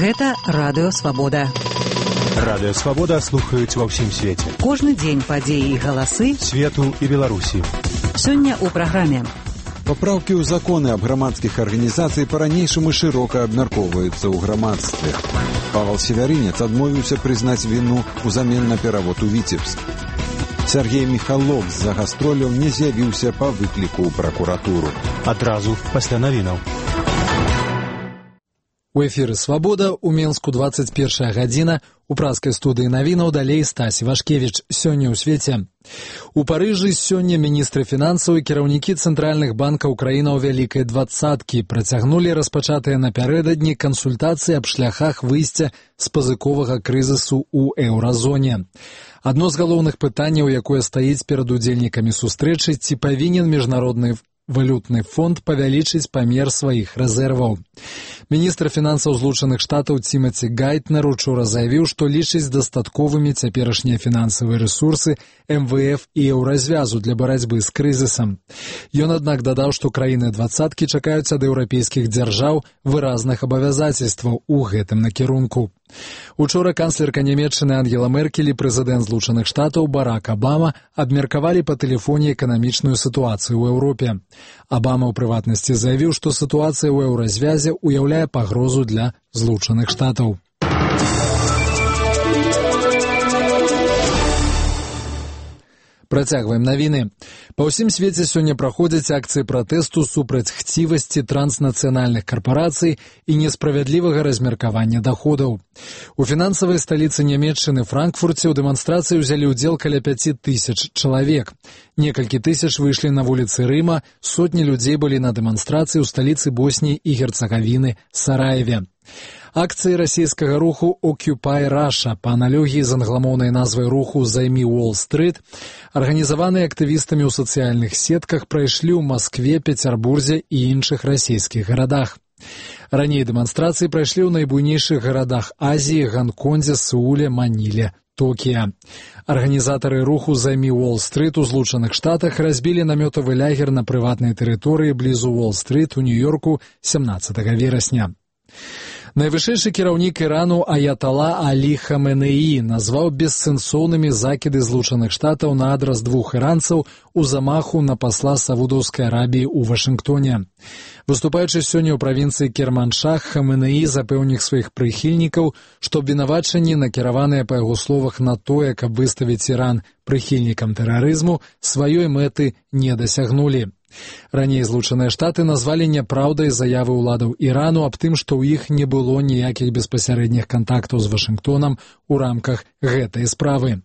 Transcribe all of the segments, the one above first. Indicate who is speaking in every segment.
Speaker 1: Гэта Радыё Свабода.
Speaker 2: Радыё Свабода слухаюць ва ўсім свеце.
Speaker 1: Кожны дзень падзеі і галасы
Speaker 2: свету і Беларусі.
Speaker 1: Сёння ў праграме.
Speaker 3: Папраўкі ў законы аб грамадскіх арганізацый па-ранейшаму шырока абмяркоўваюцца ў грамадстве. Павел Севярынец адмовіўся прызнаць віну ўзамен на перавод у Віцебск. Сергей Михалок з-за гастроляў не з'явіўся па выкліку ў пракуратуру.
Speaker 2: Адразу пасля навінаў.
Speaker 4: У эфіры «Свабода», у Менску 21 гадзіна, у праскай студыі навінаў далей Стась Івашкевіч. Сёння ў свеце. У Парыжы сёння міністры фінансаў і кіраўнікі цэнтральных банкаў краінаў Вялікай двадцаткі працягнулі распачатыя напярэдадні кансультацыі аб шляхах выйсця з пазыковага крызісу ў еўразоне. Адно з галоўных пытанняў, якое стаіць перад удзельнікамі сустрэчы, ці павінен міжнародны валютны фонд павялічыць памер сваіх рэзерваў. Міністр фінансаў Злучаных Штатаў Тимати Гайтнер учора заявіў, што лічыць дастатковымі цяперашнія фінансавыя рэсурсы МВФ і еўразвязу для барацьбы з крызісам. Ён, аднак, дадаў, што краіны двадцаткі чакаюць ад еўрапейскіх дзяржаў выразных абавязацельстваў у гэтым накірунку. Учора канцлерка Нямецчыны Ангела Меркель і прэзідэнт Злучаных Штатаў Барак Абама абмеркавалі па тэлефоне эканамічную сітуацыю ў Еўропе. Абама ў прыватнасці заявіў, што сітуацыя ў еўразвязе уяўляе пагрозу для Злучаных Штатаў. Працягваем навіны. Па ўсім свеце сёння праходзяць акцыі пратэсту супраць хцівасці транснацыянальных карпарацый і несправядлівага размеркавання даходаў. У фінансавай сталіцы Нямецчыны Франкфурце ў дэманстрацыі ўзялі ўдзел каля 5000 чалавек. Некалькі тысяч выйшлі на вуліцы Рыма, сотні людзей былі на дэманстрацыі ў сталіцы Босніі і Герцагавіны Сараеве. Акцыі расійскага руху Occupy Russia па аналогіі з англамоўнай назвай руху «Займі Уолл-стрыт», арганізаваныя актывістамі ў сацыяльных сетках, прайшлі ў Маскве, Пецярбурзе і іншых расійскіх гарадах. Раней дэманстрацыі прайшлі ў найбуйнейшых гарадах Азіі, Ганкондзе, Сеуле, Маніле, Токія. Арганізатары руху «Займі Уолл-стрыт» у Злучаных Штатах разбілі намётавы лягер на прыватнай тэрыторыі блізу Уолл-стрыт у Нью-Йорку 17 верасня. Найвышэйшы кіраўнік Ірану Аятала Алі Хаменеі назваў бессэнсоўнымі закіды Злучаных Штатаў на адрас двух іранцаў у замаху на пасла Саудаўскай Арабіі ў Вашынгтоне. Выступаючы сёння ў правінцыі Керманшах, Хаменеі запэўніў сваіх прыхільнікаў, што абвінавачанні, накіраваныя па яго словах на тое, каб выставіць Іран прыхільнікам тэрарызму, сваёй мэты не дасягнулі. Раней Злучаныя Штаты назвалі няпраўдай заявы ўладаў Ірану аб тым, што ў іх не было ніякіх беспасярэдніх кантактаў з Вашынгтонам у рамках гэтай справы.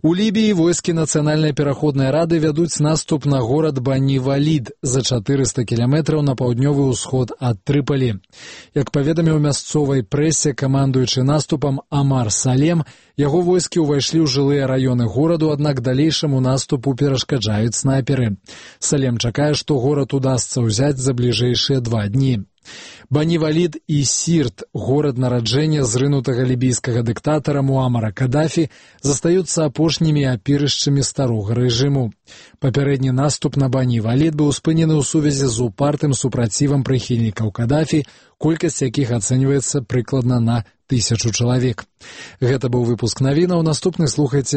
Speaker 4: У Лібіі войскі Нацыянальнай пераходнай рады вядуць наступ на горад Бані-Валід за 400 кіламетраў на паўднёвы ўсход ад Трыпалі. Як паведаміў мясцовай прэсе камандуючы наступам Амар Салем, яго войскі ўвайшлі ў жылыя раёны гораду, аднак далейшаму наступу перашкаджаюць снайперы. Салем чакае, што горад удасца ўзяць за бліжэйшыя 2 дні. Бані-Валід і Сірт, горад нараджэння зрынутага лібійскага дыктатара Муамара Кадафі, застаюцца апошнімі апірышчамі старога рэжыму. Папярэдні наступ на Бані-Валід быў спынены ў сувязі з упартым супрацівам прыхільнікаў Кадафі, колькасць якіх ацэньваецца прыкладна на 1000 чалавек. Гэта быў выпуск навінаў, наступны слухайце